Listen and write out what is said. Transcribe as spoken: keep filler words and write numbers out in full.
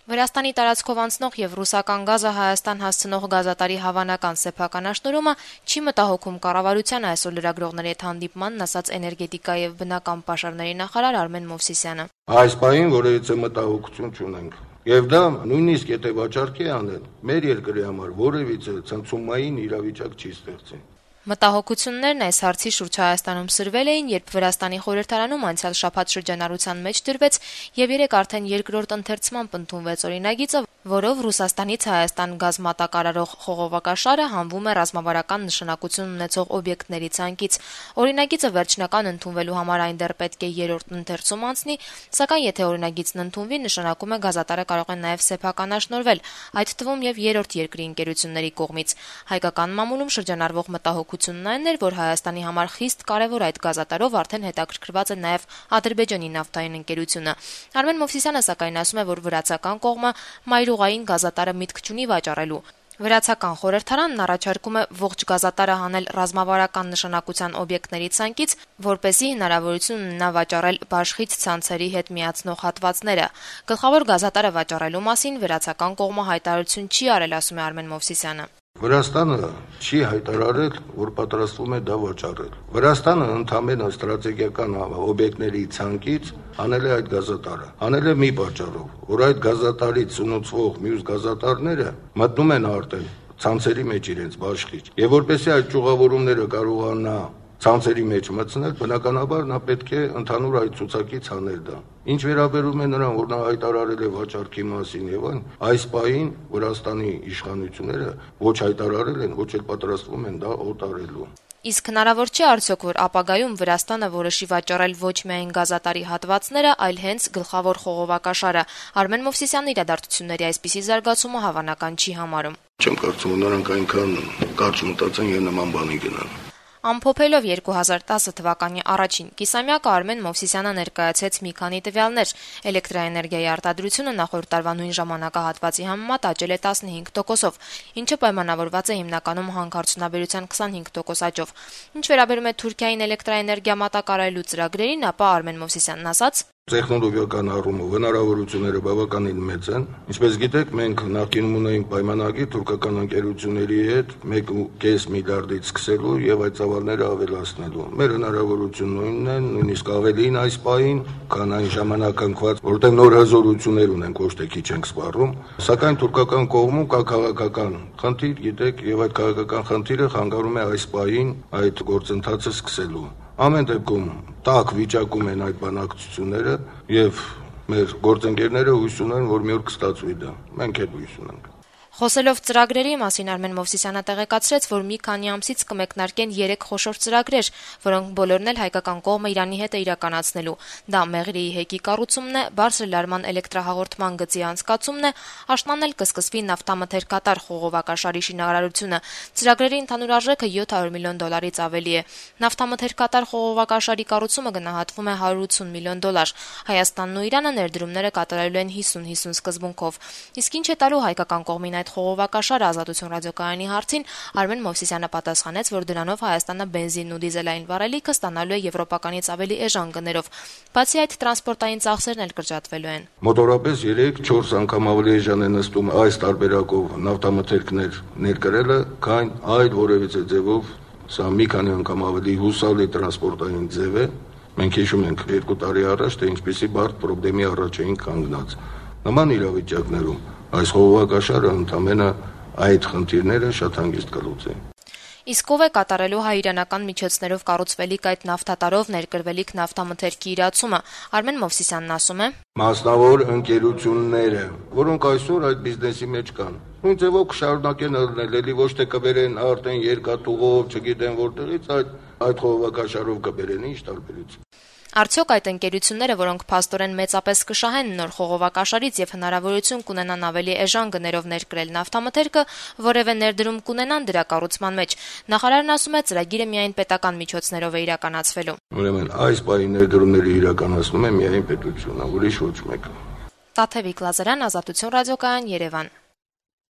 Վրաստանի տարածքով անցնող եւ ռուսական գազը Հայաստան հասցնող գազատարի հավանական սեփականաշնորհումը չի մտահոգում կառավարությանը, այսօր լրագրողների հետ հանդիպմանն ասաց էներգետիկա եւ բնական պաշարների նախարար Արմեն Մովսիսյանը։ Այս պահին որևիցե մտահոգություն չունենք։ Եվ դա նույնիսկ եթե վաճառքի անել, մեր երկրի համար որևիցե ցնցումային իրավիճակ չի ստեղծի։ Մտահոգություններն այս հարցի շուրջ Հայաստանում սրվել էին, երբ Վրաստանի խորհրդարանում անցյալ շաբաթ շրջանառության մեջ դրվեց եւ երեք արդեն երկրորդ ընթերցմամբ ընդունվեց օրինագիծը, որով Ռուսաստանից Հայաստան գազ մատակարարող խողովակաշարը հանվում է ռազմավարական նշանակություն ունեցող օբյեկտների ցանկից։ Օրինագիծը վերջնական ընդունվելու համար այն դեռ պետք է երրորդ ընթերցում անցնի, սակայն եթե օրինագիծն ընդունվի, նշանակում է գազատարը կարող է նաեւ սեփականաշնորհվել, այդ թվում եւ երրորդ երկրի ընկերությունների կողմից։ Հայկական մամուլում շրջանառվող մտահոգությունն այն էր, որ Հայաստանի համար խիստ կարևոր այդ գազատարով արդեն հետաքրքրված է նաեւ Ադրբեջանի նավթային ընկերությունը։ Արմեն Մովսիսյանը սակայն ասում է, որ վրացական կողմը մայրուղային գազատարը միտք չունի վաճառելու։ Վրացական խորհրդարանն առաջարկում է ողջ գազատարը հանել ռազմավարական նշանակության օբյեկտների ցանկից, որպեսզի հնարավորություն ունենա վաճառել բաշխից ցանցերի հետ միացնող հատվածները։ Գլխավոր գազատարը վաճառելու մասին վրացական կողմը հայտարարություն չի արել, ասում է Արմեն Մովսիսյանը։ Վրաստանը չի հայտարարել, որ պատրաստվում է դա վաճառել։ Վրաստանը ընդհանրապես ստրատեգիական օբյեկտների ցանկից անել է այդ գազատարը։ Անել է մի պատճառով, որ այդ գազատարից սնուցվող մյուս գազատարները մտնում են արդեն ցանցերի մեջ իրենց բաշխիչ։ Եվ որպեսզի այդ ճյուղավորումները կարողանա ցանցերի մեջ մտցնել, բնականաբար նա պետք է ընդհանուր այդ ցուցակից անել դա։ Ինչ վերաբերում է նրան, որ նա հայտարարել է վաճառքի մասին եւ այն, այս պահին Վրաստանի իշխանությունները ոչ հայտարարել են, ոչ էլ պատրաստվում են դա օտարելու։ Իսկ հնարավոր չէ արդյոք, որ ապագայում Վրաստանը որոշի վաճառել ոչ միայն գազատարի հատվածները, այլ հենց գլխավոր խողովակաշարը։ Արմեն Մովսիսյանը իրադարձությունների այսպիսի զարգացումը հավանական չի համարում։ Չեմ կարծում, որ նրանք այնքան կարճ մտածեն եւ նման բանի գնան։ Ամփոփելով երկու հազար տասը թվականի առաջին կիսամյակը Արմեն Մովսիսյանը ներկայացրեց մի քանի տվյալներ։ Էլեկտրաէներգիայի արտադրությունը նախորդ տարվա նույն ժամանակահատվածի համեմատ աճել է տասնհինգ տոկոսով, ինչը պայմանավորված է հիմնականում հանքարդյունաբերության քսանհինգ տոկոս աճով։ Ինչ վերաբերում է Թուրքիային էլեկտրաէներգիա մատակարարելու ծրագրերին, ապա Արմեն Մովսիսյանն ասաց. Տեխնոլոգիական առումով հնարավորությունները բավականին մեծ են։ Ինչպես գիտեք, մենք նախկինում ունեինք պայմանագիր թուրքական ընկերությունների հետ մեկ կόμma պենս միլիարդից սկսելու եւ այդ ծավալները ավելացնելու։ Մեր հնարավորությունն նույնն է, նույնիսկ ավելին այս պահին, քան այն ժամանակ ընկված, որտեղ նոր հզորություններ ունենք, ոչ թե քիչ ենք սպառում, սակայն թուրքական կողմում կա քաղաքական խնդիր, գիտեք, եւ այդ քաղաքական խնդիրը խանգարում է այս պահին այդ գործընթացը սկսելու։ Ամեն դեպքում տաք վիճակում են այդ բանակցությունները եւ մեր գործընկերները հույս ունեն, որ մի օր կստացվի դա։ Մենք էլ հույս ունենք։ Խոսելով ծրագրերի մասին Արմեն Մովսիսյանը տեղեկացրեց, որ մի քանի ամսից կմեկնարկեն երեք խոշոր ծրագրեր, որոնք բոլորն էլ հայկական կողմը Իրանի հետ է իրականացնելու։ Դա Մեղրիի հեկի կառուցումն է, բարձր լարման էլեկտրահաղորդման գծի անցկացումն է, աշնանն էլ կսկսվի նավթամթերքատար խողովակաշարի շինարարությունը։ Ծրագրերի ընդհանուր արժեքը յոթ հարյուր միլիոն դոլարից ավելի է։ Նավթամթերքատար խողովակաշարի կառուցումը գնահատվում է հարյուր ութսուն միլիոն դոլար։ Հայաստանն ու Իրանը ներդրումները կատարելու են հիսուն-հիսուն սկզբունքով։ Իսկ ինչ է տալու հայկական կողմին այդ խողովակաշարը Ազատություն ռադիոկայանի հարցին Արմեն Մովսիսյանը պատասխանեց, որ դրանով Հայաստանը բենզինն ու դիզելային վառելիքը ստանալու է եվրոպականից ավելի էժան գներով։ Բացի այդ, տրանսպորտային ծախսերն էլ կրճատվելու են։ Մոտորապես երեք-չորս անգամ ավելի էժան է նստում այս տարբերակով նավթամթերքներ ներկրելը, քան այլ որևիցե ձևով, սա մի քանի անգամ ավելի հուսալի տրանսպորտային ձև է։ Մենք հիշում ենք երկու տարի առաջ, թե ինչպիսի բարդ պրոբլեմի առաջ էին կանգնած։ Նման իրավիճակներում այս խողովակաշարը ընդհանրապես այդ խնդիրները շատ հանգիստ կլուծի։ Իսկ ով է կատարելու հայ-իրանական միջոցներով կառուցվելիք այդ նավթատարով ներկրվելիք նավթամթերքի իրացումը։ Արմեն Մովսիսյանն ասում է. Մասնավոր ընկերությունները, որոնք այսօր այդ բիզնեսի մեջ կան, նույն ձևով կշարունակեն ելնել, էլի ոչ թե կբերեն արդեն երկաթուղով, չգիտեն որտեղից, այդ այդ խողովակաշարով կբերեն, ինչ տարբերություն։ Արդյոք այդ ընկերությունները, որոնք փաստորեն մեծապես կշահեն նոր խողովակաշարից եւ հնարավորություն կունենան ավելի էժան գներով ներկրել նավթամթերքը, որևէ ներդրում կունենան դրա կառուցման մեջ։ Նախարարն ասում է, ծրագիրը միայն պետական միջոցներով է իրականացվելու։ Ուրեմն այս բանի ներդրումները իրականացնում է միայն պետությունը, ուրիշ ոչ մեկը։ Տաթևիկ Լազարյան, Ազատություն ռադիոկայան, Երևան։